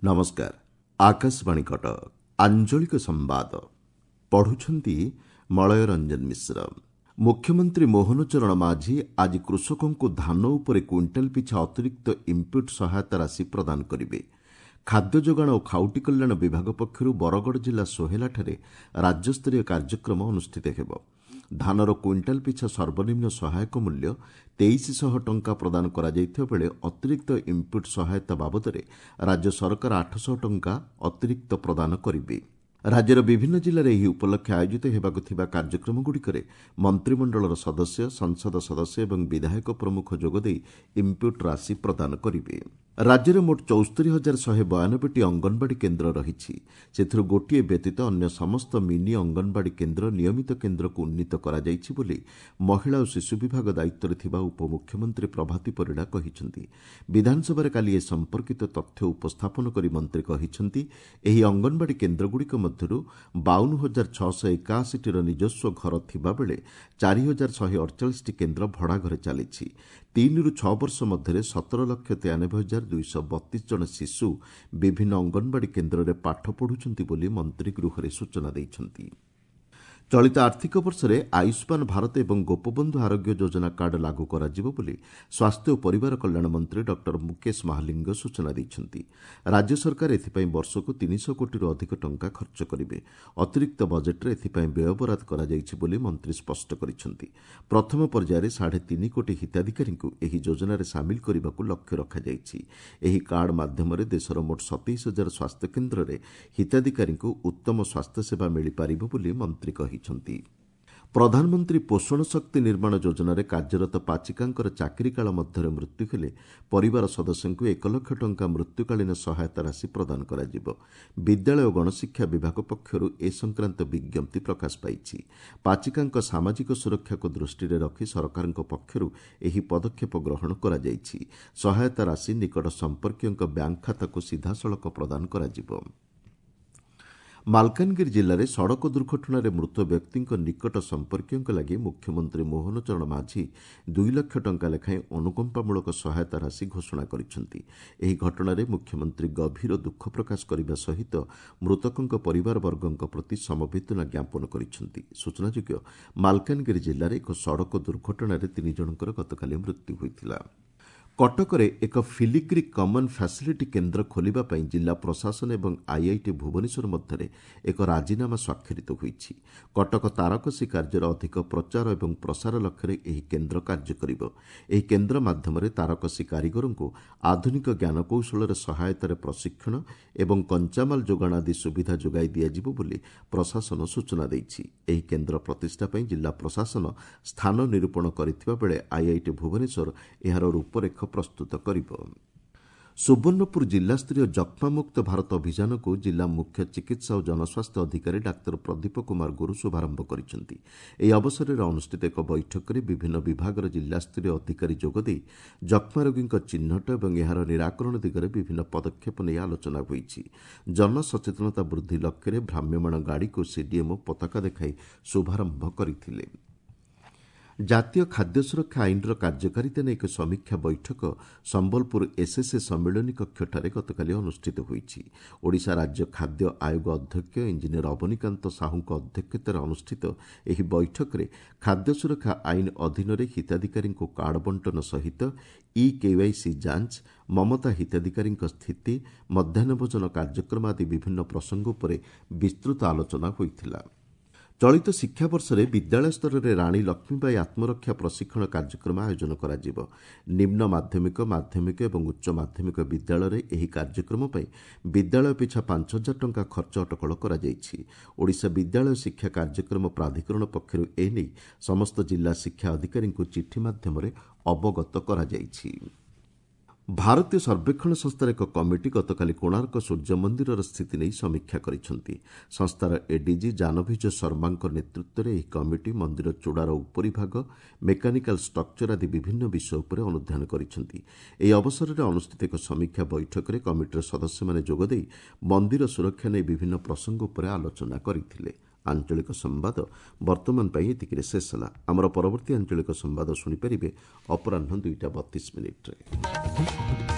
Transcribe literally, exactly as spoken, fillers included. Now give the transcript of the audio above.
ନମସ୍କାର ଆକାଶବାଣୀ କଟକ ଆଞ୍ଚଳିକ ସମ୍ବାଦ ପଢୁଛନ୍ତି ମଳୟ ରଞ୍ଜନ ମିଶ୍ର ମୁଖ୍ୟମନ୍ତ୍ରୀ ମୋହନ ଚରଣ ମାଝୀ ଆଜି କୃଷକଙ୍କୁ ଧାନ ଉପରେ କୁଇଣ୍ଟାଲ ପିଛା ଅତିରିକ୍ତ ଇନ୍ପୁଟ୍ ସହାୟତା ରାଶି ପ୍ରଦାନ କରିବେ ଖାଦ୍ୟ ଯୋଗାଣ ଓ ଖାଉଟି କଲ୍ୟାଣ ବିଭାଗ ପକ୍ଷରୁ ବରଗଡ଼ ଜିଲ୍ଲା ସୋହେଲାଠାରେ ରାଜ୍ୟସ୍ତରୀୟ କାର୍ଯ୍ୟକ୍ରମ ଅନୁଷ୍ଠିତ ହେବ ଧାନର କୁଇଣ୍ଟାଲ ପିଛା ସର୍ବନିମ୍ନ ସହାୟକ ମୂଲ୍ୟ ତେଇଶ ଶହ ଟଙ୍କା ପ୍ରଦାନ କରାଯାଇଥିବା ବେଳେ ଅତିରିକ୍ତ ଇନ୍ପୁଟ୍ ସହାୟତା ବାବଦରେ ରାଜ୍ୟ ସରକାର ଆଠଶହ ଟଙ୍କା ଅତିରିକ୍ତ ପ୍ରଦାନ କରିବେ ରାଜ୍ୟର ବିଭିନ୍ନ ଜିଲ୍ଲାରେ ଏହି ଉପଲକ୍ଷେ ଆୟୋଜିତ ହେବାକୁ ଥିବା କାର୍ଯ୍ୟକ୍ରମଗୁଡ଼ିକରେ ମନ୍ତ୍ରିମଣ୍ଡଳର ସଦସ୍ୟ ସଂସଦ ସଦସ୍ୟ ଏବଂ ବିଧାୟକ ପ୍ରମୁଖ ଯୋଗଦେଇ ଇନ୍ପୁଟ୍ ରାଶି ପ୍ରଦାନ କରିବେ ରାଜ୍ୟରେ ମୋଟ ଚଉସ୍ତରୀ ହଜାର ଶହେ ବୟାନବେଟି ଅଙ୍ଗନବାଡ଼ି କେନ୍ଦ୍ର ରହିଛି ସେଥିରୁ ଗୋଟିଏ ବ୍ୟତୀତ ଅନ୍ୟ ସମସ୍ତ ମିନି ଅଙ୍ଗନବାଡ଼ି କେନ୍ଦ୍ର ନିୟମିତ କେନ୍ଦ୍ରକୁ ଉନ୍ନୀତ କରାଯାଇଛି ବୋଲି ମହିଳା ଓ ଶିଶୁ ବିଭାଗ ଦାୟିତ୍ୱରେ ଥିବା ଉପମୁଖ୍ୟମନ୍ତ୍ରୀ ପ୍ରଭାତୀ ପରିଡ଼ା କହିଛନ୍ତି ବିଧାନସଭାରେ କାଲି ଏ ସମ୍ପର୍କିତ ତଥ୍ୟ ଉପସ୍ଥାପନ କରି ମନ୍ତ୍ରୀ କହିଛନ୍ତି ଏହି ଅଙ୍ଗନବାଡ଼ି କେନ୍ଦ୍ରଗୁଡ଼ିକ ମଧ୍ୟରୁ ବାଉନ ହଜାର ଛଅଶହ ଏକାଅଶୀଟିର ନିଜସ୍ୱ ଘର ଥିବାବେଳେ ଚାରି ହଜାର ଶହେ ଅଡ଼ଚାଳିଶଟି କେନ୍ଦ୍ର ଭଡ଼ାଘରେ ଚାଲିଛି ତିନିରୁ ଛଅ ବର୍ଷ ମଧ୍ୟରେ ସତର ଲକ୍ଷ ତେୟାନବେ ହଜାର ଦୁଇଶହ ବତିଶ ଜଣ ଶିଶୁ ବିଭିନ୍ନ ଅଙ୍ଗନବାଡ଼ି କେନ୍ଦ୍ରରେ ପାଠ ପଢ଼ୁଛନ୍ତି ବୋଲି ମନ୍ତ୍ରୀ ଗୃହରେ ସୂଚନା ଦେଇଛନ୍ତି ଚଳିତ ଆର୍ଥିକ ବର୍ଷରେ ଆୟୁଷ୍ମାନ ଭାରତ ଏବଂ ଗୋପବନ୍ଧୁ ଆରୋଗ୍ୟ ଯୋଜନା କାର୍ଡ ଲାଗୁ କରାଯିବ ବୋଲି ସ୍ୱାସ୍ଥ୍ୟ ଓ ପରିବାର କଲ୍ୟାଣ ମନ୍ତ୍ରୀ ଡକ୍ଟର ମୁକେଶ ମହାଲିଙ୍ଗ ସୂଚନା ଦେଇଛନ୍ତି ରାଜ୍ୟ ସରକାର ଏଥିପାଇଁ ବର୍ଷକୁ ତିନିଶହ କୋଟିରୁ ଅଧିକ ଟଙ୍କା ଖର୍ଚ୍ଚ କରିବେ ଅତିରିକ୍ତ ବଜେଟ୍ରେ ଏଥିପାଇଁ ବ୍ୟୟବରାଦ କରାଯାଇଛି ବୋଲି ମନ୍ତ୍ରୀ ସ୍ପଷ୍ଟ କରିଛନ୍ତି ପ୍ରଥମ ପର୍ଯ୍ୟାୟରେ ସାଢ଼େ ତିନି କୋଟି ହିତାଧିକାରୀଙ୍କୁ ଏହି ଯୋଜନାରେ ସାମିଲ କରିବାକୁ ଲକ୍ଷ୍ୟ ରଖାଯାଇଛି ଏହି କାର୍ଡ ମାଧ୍ୟମରେ ଦେଶର ମୋଟ ସତେଇଶ ହଜାର ସ୍ୱାସ୍ଥ୍ୟକେନ୍ଦ୍ରରେ ହିତାଧିକାରୀଙ୍କୁ ଉତ୍ତମ ସ୍ୱାସ୍ଥ୍ୟସେବା ମିଳିପାରିବ ବୋଲି ମନ୍ତ୍ରୀ କହିଛନ୍ତି ପ୍ରଧାନମନ୍ତ୍ରୀ ପୋଷଣ ଶକ୍ତି ନିର୍ମାଣ ଯୋଜନାରେ କାର୍ଯ୍ୟରତ ପାଚିକାଙ୍କର ଚାକିରି କାଳ ମଧ୍ୟରେ ମୃତ୍ୟୁ ହେଲେ ପରିବାର ସଦସ୍ୟଙ୍କୁ ଏକ ଲକ୍ଷ ଟଙ୍କା ମୃତ୍ୟୁକାଳୀନ ସହାୟତା ରାଶି ପ୍ରଦାନ କରାଯିବ ବିଦ୍ୟାଳୟ ଓ ଗଣଶିକ୍ଷା ବିଭାଗ ପକ୍ଷରୁ ଏ ସଂକ୍ରାନ୍ତ ବିଜ୍ଞପ୍ତି ପ୍ରକାଶ ପାଇଛି ପାଚିକାଙ୍କ ସାମାଜିକ ସୁରକ୍ଷାକୁ ଦୃଷ୍ଟିରେ ରଖି ସରକାରଙ୍କ ପକ୍ଷରୁ ଏହି ପଦକ୍ଷେପ ଗ୍ରହଣ କରାଯାଇଛି ସହାୟତା ରାଶି ନିକଟ ସମ୍ପର୍କୀୟଙ୍କ ବ୍ୟାଙ୍କ ଖାତାକୁ ସିଧାସଳଖ ପ୍ରଦାନ କରାଯିବ ମାଲକାନଗିରି ଜିଲ୍ଲାରେ ସଡ଼କ ଦୁର୍ଘଟଣାରେ ମୃତ ବ୍ୟକ୍ତିଙ୍କ ନିକଟ ସମ୍ପର୍କୀୟଙ୍କ ଲାଗି ମୁଖ୍ୟମନ୍ତ୍ରୀ ମୋହନ ଚରଣ ମାଝୀ ଦୁଇ ଲକ୍ଷ ଟଙ୍କା ଲେଖାଏଁ ଅନୁକମ୍ପାମୂଳକ ସହାୟତା ରାଶି ଘୋଷଣା କରିଛନ୍ତି ଏହି ଘଟଣାରେ ମୁଖ୍ୟମନ୍ତ୍ରୀ ଗଭୀର ଦୁଃଖ ପ୍ରକାଶ କରିବା ସହିତ ମୃତକଙ୍କ ପରିବାରବର୍ଗଙ୍କ ପ୍ରତି ସମବେଦନା ଜ୍ଞାପନ କରିଛନ୍ତି ସୂଚନାଯୋଗ୍ୟ ମାଲକାନଗିରି ଜିଲ୍ଲାରେ ଏକ ସଡ଼କ ଦୁର୍ଘଟଣାରେ ତିନି ଜଣଙ୍କର ଗତକାଲି ମୃତ୍ୟୁ ହୋଇଥିଲା କଟକରେ ଏକ ଫିଲିଗ୍ରି କମନ୍ ଫ୍ୟାସିଲିଟି କେନ୍ଦ୍ର ଖୋଲିବା ପାଇଁ ଜିଲ୍ଲା ପ୍ରଶାସନ ଏବଂ ଆଇଆଇଟି ଭୁବନେଶ୍ୱର ମଧ୍ୟରେ ଏକ ରାଜିନାମା ସ୍ୱାକ୍ଷରିତ ହୋଇଛି କଟକ ତାରକସି କାର୍ଯ୍ୟର ଅଧିକ ପ୍ରଚାର ଏବଂ ପ୍ରସାର ଲକ୍ଷ୍ୟରେ ଏହି କେନ୍ଦ୍ର କାର୍ଯ୍ୟ କରିବ ଏହି କେନ୍ଦ୍ର ମାଧ୍ୟମରେ ତାରକସି କାରିଗରଙ୍କୁ ଆଧୁନିକ ଜ୍ଞାନକୌଶଳର ସହାୟତାରେ ପ୍ରଶିକ୍ଷଣ ଏବଂ କଞ୍ଚାମାଲ ଯୋଗାଣ ଆଦି ସୁବିଧା ଯୋଗାଇ ଦିଆଯିବ ବୋଲି ପ୍ରଶାସନ ସୂଚନା ଦେଇଛି ଏହି କେନ୍ଦ୍ର ପ୍ରତିଷ୍ଠା ପାଇଁ ଜିଲ୍ଲା ପ୍ରଶାସନ ସ୍ଥାନ ନିରୂପଣ କରିଥିବା ବେଳେ ଆଇଆଇଟି ଭୁବନେଶ୍ୱର ଏହାର ରୂପରେଖ ପ୍ରସ୍ତୁତ କରିବ ସୁବର୍ଣ୍ଣପୁର ଜିଲ୍ଲାସ୍ତରୀୟ ଯକ୍ଷ୍ମାମୁକ୍ତ ଭାରତ ଅଭିଯାନକୁ ଜିଲ୍ଲା ମୁଖ୍ୟ ଚିକିତ୍ସା ଓ ଜନସ୍ୱାସ୍ଥ୍ୟ ଅଧିକାରୀ ଡାକ୍ତର ପ୍ରଦୀପ କୁମାର ଗୁରୁ ଶୁଭାରମ୍ଭ କରିଛନ୍ତି ଏହି ଅବସରରେ ଅନୁଷ୍ଠିତ ଏକ ବୈଠକରେ ବିଭିନ୍ନ ବିଭାଗର ଜିଲ୍ଲାସ୍ତରୀୟ ଅଧିକାରୀ ଯୋଗଦେଇ ଯକ୍ଷ୍ମା ରୋଗୀଙ୍କ ଚିହ୍ନଟ ଏବଂ ଏହାର ନିରାକରଣ ଦିଗରେ ବିଭିନ୍ନ ପଦକ୍ଷେପ ନେଇ ଆଲୋଚନା ହୋଇଛି ଜନସଚେତନତା ବୃଦ୍ଧି ଲକ୍ଷ୍ୟରେ ଭ୍ରାମ୍ୟମାଣ ଗାଡ଼ିକୁ ସିଡିଏମ୍ଓ ପତାକା ଦେଖାଇ ଶୁଭାରମ୍ଭ କରିଥିଲେ ଜାତୀୟ ଖାଦ୍ୟ ସୁରକ୍ଷା ଆଇନର କାର୍ଯ୍ୟକାରିତା ନେଇ ଏକ ସମୀକ୍ଷା ବୈଠକ ସମ୍ବଲପୁର ଏସ୍ଏସ୍ଏ ସମ୍ମିଳନୀ କକ୍ଷଠାରେ ଗତକାଲି ଅନୁଷ୍ଠିତ ହୋଇଛି ଓଡ଼ିଶା ରାଜ୍ୟ ଖାଦ୍ୟ ଆୟୋଗ ଅଧ୍ୟକ୍ଷ ଇଞ୍ଜିନିୟର ଅବନୀକାନ୍ତ ସାହୁଙ୍କ ଅଧ୍ୟକ୍ଷତାରେ ଅନୁଷ୍ଠିତ ଏହି ବୈଠକରେ ଖାଦ୍ୟ ସୁରକ୍ଷା ଆଇନ ଅଧୀନରେ ହିତାଧିକାରୀଙ୍କୁ କାର୍ଡ ବଣ୍ଟନ ସହିତ ଇ କେୱାଇସି ଯାଞ୍ଚ ମମତା ହିତାଧିକାରୀଙ୍କ ସ୍ଥିତି ମଧ୍ୟାହ୍ନ ଭୋଜନ କାର୍ଯ୍ୟକ୍ରମ ଆଦି ବିଭିନ୍ନ ପ୍ରସଙ୍ଗ ଉପରେ ବିସ୍ତୃତ ଆଲୋଚନା ହୋଇଥିଲା ଚଳିତ ଶିକ୍ଷାବର୍ଷରେ ବିଦ୍ୟାଳୟ ସ୍ତରରେ ରାଣୀ ଲକ୍ଷ୍ମୀବାଇ ଆତ୍ମରକ୍ଷା ପ୍ରଶିକ୍ଷଣ କାର୍ଯ୍ୟକ୍ରମ ଆୟୋଜନ କରାଯିବ ନିମ୍ନ ମାଧ୍ୟମିକ ମାଧ୍ୟମିକ ଏବଂ ଉଚ୍ଚ ମାଧ୍ୟମିକ ବିଦ୍ୟାଳୟରେ ଏହି କାର୍ଯ୍ୟକ୍ରମ ପାଇଁ ବିଦ୍ୟାଳୟ ପିଛା ପାଞ୍ଚ ହଜାର ଟଙ୍କା ଖର୍ଚ୍ଚ ଅଟକଳ କରାଯାଇଛି ଓଡ଼ିଶା ବିଦ୍ୟାଳୟ ଶିକ୍ଷା କାର୍ଯ୍ୟକ୍ରମ ପ୍ରାଧିକରଣ ପକ୍ଷରୁ ଏନେଇ ସମସ୍ତ ଜିଲ୍ଲା ଶିକ୍ଷା ଅଧିକାରୀଙ୍କୁ ଚିଠି ମାଧ୍ୟମରେ ଅବଗତ କରାଯାଇଛି ଭାରତୀୟ ସର୍ବେକ୍ଷଣ ସଂସ୍ଥାର ଏକ କମିଟି ଗତକାଲି କୋଣାର୍କ ସୂର୍ଯ୍ୟ ମନ୍ଦିରର ସ୍ଥିତି ନେଇ ସମୀକ୍ଷା କରିଛନ୍ତି ସଂସ୍ଥାର ଏଡିଜି ଜାନଭିଜ ଶର୍ମାଙ୍କ ନେତୃତ୍ୱରେ ଏହି କମିଟି ମନ୍ଦିର ଚୂଡ଼ାର ଉପରିଭାଗ ମେକାନିକାଲ ଷ୍ଟ୍ରକ୍ଚର ଆଦି ବିଭିନ୍ନ ବିଷୟ ଉପରେ ଅନୁଧ୍ୟାନ କରିଛନ୍ତି ଏହି ଅବସରରେ ଅନୁଷ୍ଠିତ ଏକ ସମୀକ୍ଷା ବୈଠକରେ କମିଟିର ସଦସ୍ୟମାନେ ଯୋଗଦେଇ ମନ୍ଦିର ସୁରକ୍ଷା ନେଇ ବିଭିନ୍ନ ପ୍ରସଙ୍ଗ ଉପରେ ଆଲୋଚନା କରିଥିଲେ ଆଞ୍ଚଳିକ ସମ୍ବାଦ ବର୍ତ୍ତମାନ ପାଇଁ ଏତିକିରେ ଶେଷ ହେଲା। ଆମର ପରବର୍ତ୍ତୀ ଆଞ୍ଚଳିକ ସମ୍ବାଦ ଶୁଣିପାରିବେ ଅପରାହ୍ନ ଦୁଇଟା ବତିଶ ମିନିଟ୍ରେ।